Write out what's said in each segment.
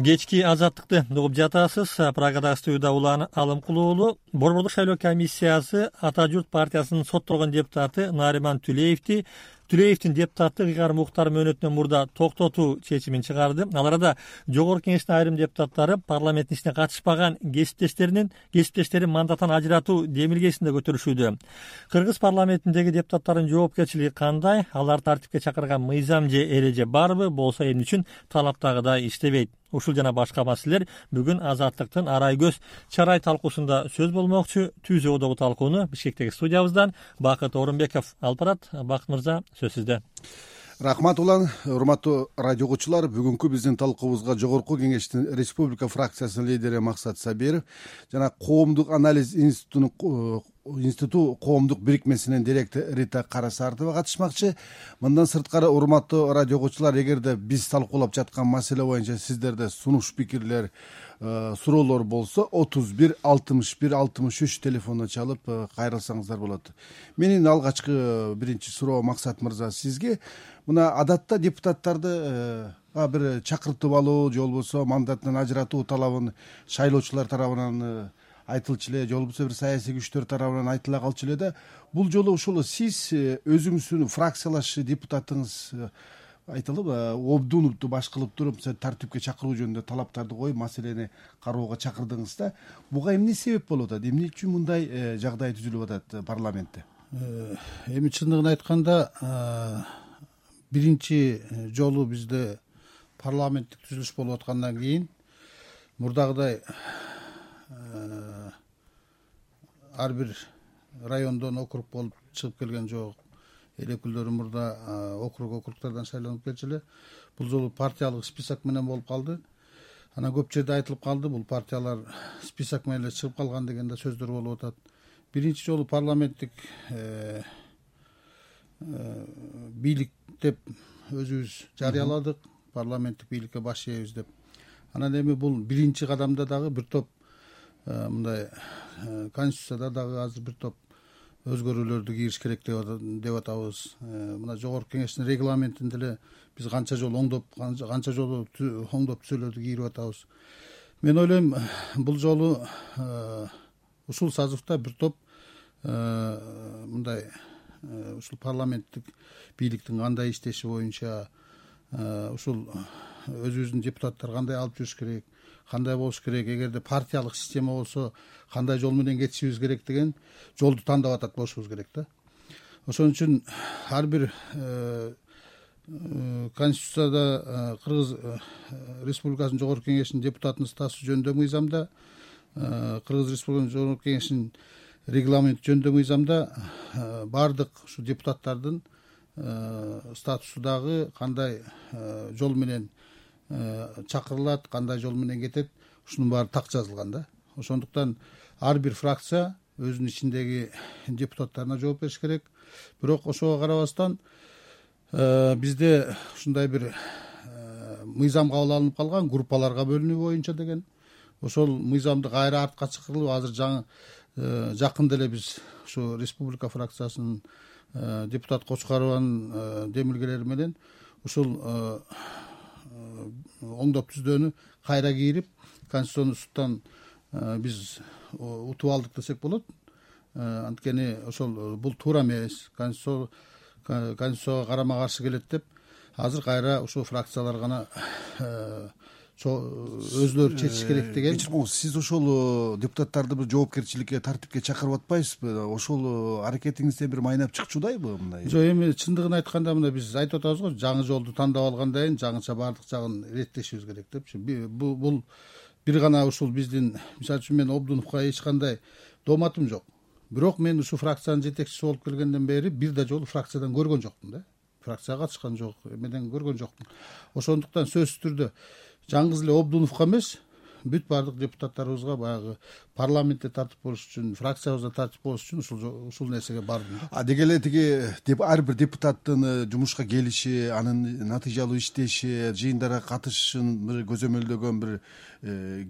Кечки азаттыкты угуп жатасыз. Прагадагы студияда Улан Алымкулуу. Борбордук шайлоо комиссиясы Ата журт партиясынын соттолгон депутаты Нариман Түлеевдин депутаттык ыйгарым укуктары мөөнөтүнөн мурда токтотуу чечимин чыгарды. Ал арада жогорку кеңештин айрым депутаттары парламенттин ишине катышпаган кесиптештерин мандаттан ажыратуу демилгесин да көтөрүшүүдө. Кыргыз парламентиндеги депутаттардын жоопкерчилиги кандай? Алар тартипке чакырган мыйзам же эреже барбы? Болсо эмне үчүн талаптагыдай иштебейт? Ушул жана башка маселелер бүгүн Азаттыктын арай көз чарай талкуусунда сөз болмокчу. Түзүүдөгү талкууну Бишкектеги студиябыздан Бакыт Орунбеков алып барат. Бакыт мырза, сөз сизде. Рахмат Улан. Урматтуу радио угуучулар, бүгүнкү биздин талкуубузга Жогорку Кеңештин Республика фракциясынын лидери Максат Сабиров жана Коомдук анализ институту коомдук бирикмесинин директору Рита Карасартова катышмакчы. Мындан сырткары, урматтуу радио угуучулар, эгерде биз талкуулап жаткан маселе боюнча сиздерде сунуш пикирлер, суроолор болсо 31 61 63 телефонуна чалып кайрылсаңыздар болот. Менин алгачкы биринчи суроо, Максат мырза, сизге. Мына адатта депутаттарды бир чакыртып алуу же болбосо мандаттан ажыратуу талабын шайлоочулар тарабынан айтылчу эле, же болбосо бир саясий күчтөр тарабынан айтыла калчу эле да. Бул жолу ушул сиз өзүңүздүн фракциялаш депутатыңыз айтылып, Обдуновду баш кылып туруп тартипке чакыруу жөнүндө талаптарды коюп, маселени кароого чакырдыңыз да. Буга эмне себеп болуп атат? Эмне үчүн мындай жагдай түзүлүп атат парламентте? Эми чындыгын айтканда, биринчи жолу бизде парламенттик түзүлүш болуп аткандан кийин мурдагыдай ар бир райондон округ болуп чыгып келген жок. Эл өкүлдөрү мурда округтардан шайланып келчү эле. Бул жолу партиялык список менен болуп калды. Анан көп жерде айтылып калды, бул партиялар список менен эле чыгып калган деген да сөздөр болуп атат. Биринчи жолу парламенттик бийлик деп өзүбүз жарыяладык, парламенттик бийликке баш ийебиз деп. Анан эми бул биринчи кадамда дагы бир топ мындай конституцияда дагы азыр бир топ өзгөрүүлөрдү кириш керек деп атабыз. Мына жогорку кеңештин регламентинде эле биз канча жолу оңдоп түзөлөрдү кийирип атабыз. Мен ойлойм, бул жолу ушул сазывда бир топ мындай ушул парламенттик бийликтин кандай иштеши боюнча, ушул өзүбүздүн депутаттар кандай алып жүрүш керек, кандай болуш керек, эгерде партиялык система болсо кандай жол менен кетишибиз керек деген жолду тандап атат болушубуз керек да. Ошон үчүн ар бир конституцияда Кыргыз Республикасынын Жогорку Кеңешинин депутатынын статусу жөнүндө мыйзамда, Кыргыз Республикасынын Жогорку Кеңешинин регламенти жөнүндө мыйзамда баардык ушу депутаттардын статусу дагы кандай жол менен чакырылат, кандай жол менен кетет, ушунун баары так жазылган да. Ошондуктан ар бир фракция өзүнүн ичиндеги депутаттарына жооп бериш керек. Бирок ошого карабастан бизде ушундай бир мыйзам кабыл алынып калган, группаларга бөлүнүү боюнча деген. Ошол мыйзамды кайра артка чакырылып, азыр жакында эле биз ушу республика фракциясынын депутат Кочкарованын демилгелери менен ушул оңдоп түздөөнү кайра кийирип, Конституционный суттан биз утуп алдык десек болот. Анткени ошол бул туура эмес, Конституцияга карама каршы келет деп азыр кайра ушул фракциялар гана өзлөрү чечиш керек деген. Сиз ошол депутаттарды бир жоопкерчиликке, тартипке чакырып атпайсызбы? Ошол аракетиңизде бир майнап чыкчудайбы мындай? Жок, эми чындыгын айтканда мына биз айтып атабыз го, жаңы жолду тандап алгандан кийин жаңыча баардык жагын иреттешибиз керек депчи. Бул бир гана ушул биздин, мисалы үчүн мен Обдуновго эч кандай дооматым жок. Бирок мен ушу фракциянын жетекчиси болуп келгенден бери бир да жолу фракциядан көргөн жокмун да. Фракцияга катышкан жок, эмеден көргөн жокмун. Ошондуктан сөзсүз түрдө жаңгыз эле Обдуновго эмес, бүт баардык депутаттарыбызга баягы парламентте тартип болуш үчүн, фракциябызда тартип болуш үчүн ушул нерсеге бардым да. Деги эле тиги ар бир депутаттын жумушка келиши, анын натыйжалуу иштеши, жыйындарга катышышын бир көзөмөлдөгөн бир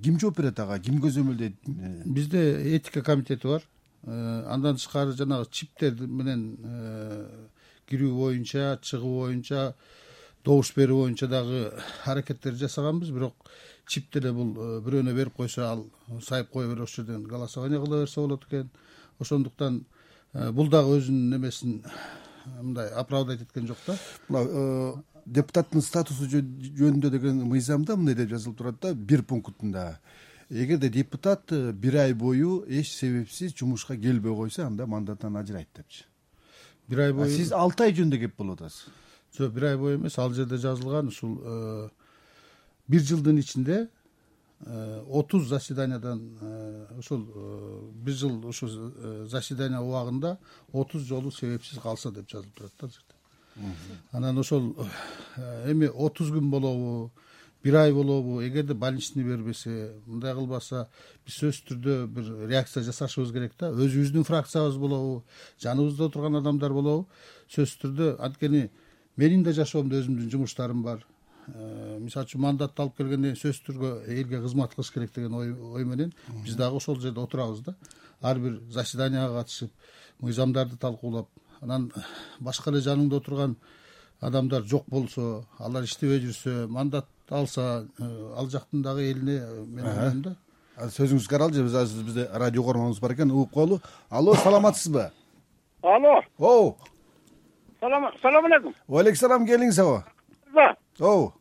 ким жооп берет ага? Ким көзөмөлдөйт? Бизде этика комитети бар. Андан тышкары жанагы чиптер менен кирүү боюнча, чыгуу боюнча добуш берүү боюнча дагы аракеттер жасаганбыз, бирок чип деле бул бирөөнө берип койсо ал сайып кое берип ошол жерден голосование кыла берсе болот экен. Ошондуктан бул дагы өзүнүн немесин мындай оправдать эткен жок да. Мына депутаттын статусу жөнүндө деген мыйзамда мындай деп жазылып турат да, бир пунктунда: эгерде депутат бир ай бою эч себепсиз жумушка келбей койсо, анда мандаттан ажырайт депчи. Бир ай бою Сиз 6 ай жөнүндө кеп болуп атасыз. жок, бир ай бою эмес, ал жерде жазылган ушул бир жылдын ичинде 30 заседаниядан ошол бир жыл ушул заседания убагында 30 жолу себепсиз калса деп жазылып турат да жерде. Анан ошол эми 30 күн болобу, бир ай болобу, эгерде больничный бербесе, мындай кылбаса, биз сөзсүз түрдө бир реакция жасашыбыз керек да. Өзүбүздүн фракциябыз болобу, жаныбызда отурган адамдар болобу, сөзсүз түрдө, анткени менин да жашоомдо өзүмдүн жумуштарым бар. Мисалы үчүн мандатты алып келгенден кийин сөзсүз түрдө элге кызмат кылыш керек деген ой менен биз дагы ошол жерде отурабыз да. Ар бир заседанияга катышып, мыйзамдарды талкуулап, анан башка эле жаныңда отурган адамдар жок болсо, алар иштебей жүрсө, мандат алса, ал жактын дагы элине мен ойлойм да. Сөзүңүзгө каралчы, биз азыр бизде радио угарманыбыз бар экен, угуп коелу. Алло, саламатсызбы? Алло. Оу. Салам алейкум. Алейкум, келиңиз аба. Оу.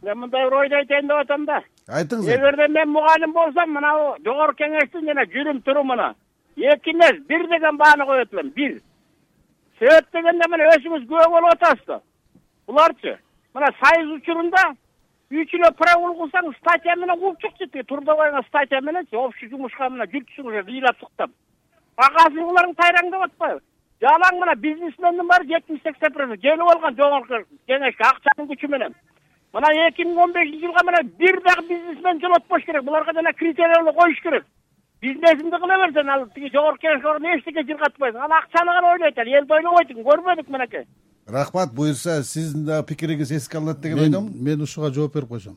Мен мындай бир ойду айтайын деп атам да. Айтыңыз. Эгерде мен мугалим болсом, мына жогорку кеңештин жана жүрүм турумуна 2 эмес 1 деген бааны коет элем. 1. Себеп дегенде мына өзүңүз күбө болуп атасыз да. Буларчы мына сайыз учурунда 3 эле прогул кылсаң, статья менен кууп чыкчы. Трудовойга статья мененчи общий жумушка мына жүрчүңүз ыйлап чыктым. Багасын буларың тайраңдап атпайбы? Жалаң мына бизнесмендин баары 70-80% келип алган жогорку кеңешке акчанын күчү менен. Мына 2015-жылга мына бир дагы бизнесмен жолотпош керек. Буларга жана критерийлер коюш керек. Бизнесинди кыла берсең, ал тиги жогорку кеңешке барып эчтеке жыргатпайсың. Ал акчаны гана ойлойт, ал элди ойлобойт. Көрбөдүк менеке. Рахмат, буюрса сиздин да пикириңиз эске алынат деген ойдомун. Мен ушуга жооп берип койсом.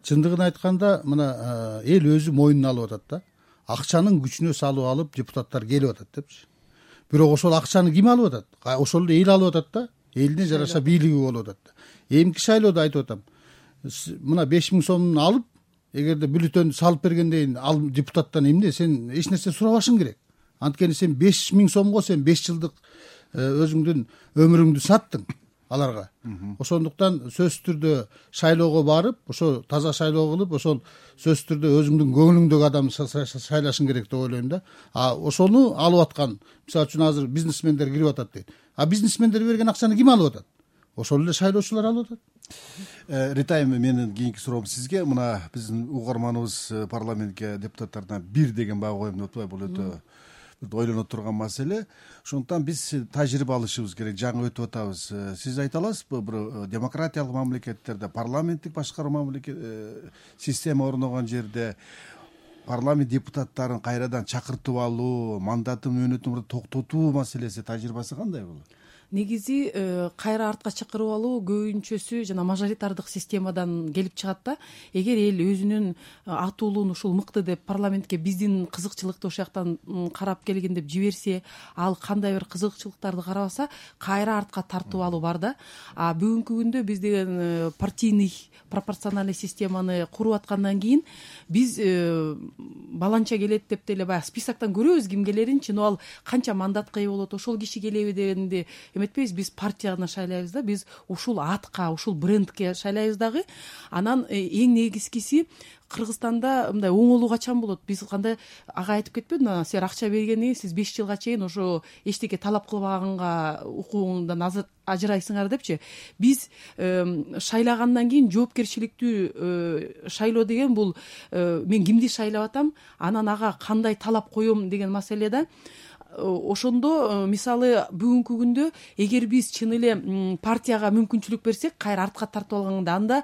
Чындыгын айтканда, мына эл өзү мойнуна алып атат да. Акчанын күчүнө салып алып депутаттар келип атат депчи. Бирок ошол акчаны ким алып атат? Ошол эле эл алып атат да. Элине жараша бийлиги болуп атат да. Эмки шайлоодо айтып атам. Мына 5000 сомун алып, эгерде бюллетенди салып бергенден ал депутаттан эмне, сен эч нерсе сурабашың керек. Анткени сен 5000 сомго сен 5 жылдык өзүңдүн өмүрүңдү саттың аларга. Ошондуктан сөзсүз түрдө шайлоого барып, ошо таза шайлоо кылып, ошол сөзсүз түрдө өзүңдүн көңүлүңдөгү адамды шайлашың керек деп ойлойм да. Ошону алып аткан, мисалы үчүн азыр бизнесмендер кирип атат дейт. Бизнесмендер берген акчаны ким алып атат? Ошол эле шайлоочулар алып атат. Ритайм, менин кийинки суроом сизге. Мына биздин угарманыбыз парламентке депутаттардан 1 деген баа коем деп атпайбы? Бул өтө ойлонот турган маселе. Ошондуктан биз тажрыйба алышыбыз керек. Жаңы өтүп атабыз. Сиз айта аласызбы, бир демократиялык мамлекеттерде, парламенттик башкаруу система орногон жерде парламент депутаттарын кайрадан чакыртып алуу, мандатын мөөнөтүн токтотуу маселеси тажрыйбасы кандай болот? Негизи кайра артка чакырып алуу көбүнчөсү жана мажоритардык системадан келип чыгат да. Эгер эл өзүнүн атуулуун ушул мыкты деп парламентке биздин кызыкчылыкты ошол жактан карап келген деп жиберсе, ал кандай бир кызыкчылыктарды карабаса, кайра артка тартып алуу бар да. Бүгүнкү күндө биз деген партийный пропорциональный системаны куруп аткандан кийин биз баланча келет деп деле баягы списоктон көрөбүз ким келерин, чын ал канча мандатка ээ болот, ошол киши келеби дегенди эметпейбиз. Биз партияны шайлайбыз да, биз ушул атка, ушул брендке шайлайбыз дагы. Анан эң негизгиси Кыргызстанда мындай оңолуу качан болот? Биз кандай ага айтып кетпедиби? Силер акча бергенден кийин сиз 5 жылга чейин ошо эчтеке талап кылбаганга укугуңдан ажырайсыңар депчи. Биз шайлагандан кийин жоопкерчиликтүү шайлоо деген бул мен кимди шайлап атам, анан ага кандай талап коем деген маселе да. Ошондо мисалы бүгүнкү күндө эгер биз чын эле партияга мүмкүнчүлүк берсек, кайра артка тартып алганда, анда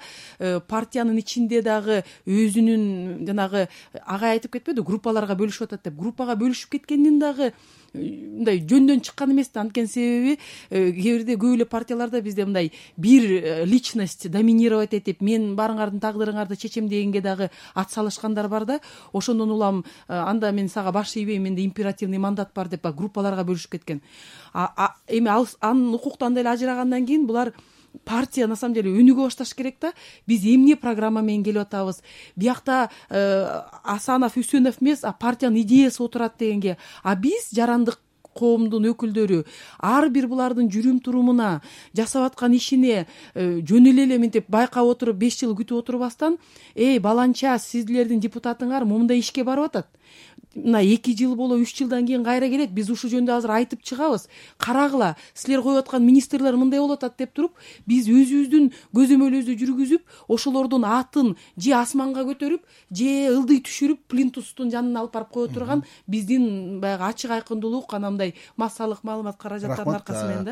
партиянын ичинде дагы өзүнүн жанагы ага айтып кетпеди, группаларга бөлүшүп атат деп. Группага бөлүшүп кеткендин дагы мындай жөндөн чыккан эмес да. Анткени себеби кээ бирде көп эле партияларда бизде мындай бир личность доминировать этип, мен баарыңардын тагдырыңарды чечем дегенге дагы ат салышкандар бар да. Ошондон улам анда мен сага баш ийбейм, менде императивный мандат бар деп группаларга бөлүшүп кеткен. Эми анын укуктан деле ажырагандан кийин булар партия на самом деле өнүгө башташ керек да. Биз эмне программа менен келип атабыз, биякта Асанов Үсөнов эмес, а партиянын идеясы отурат дегенге. А биз жарандык коомдун өкүлдөрү ар бир булардын жүрүм турумуна, жасап аткан ишине жөн эле мынтип байкап отуруп 5 жыл күтүп отурбастан, баланча сиздердин депутатыңар момундай ишке барып атат. Мына 2 жыл боло 3 жылдан кийин кайра келет. Биз ушул жөнүндө азыр айтып чыгабыз. Карагыла, силер коюп аткан министрлер мындай болуп атат деп туруп, биз өзүбүздүн көзөмөлүбүздү жүргүзүп, ошолордун атын же асманга көтөрүп, же ылдый түшүрүп, плинтустун жанына алып барып кое турган биздин баягы ачык айкындуулук, анандай массалык маалымат каражаттарынын аркасы менен да.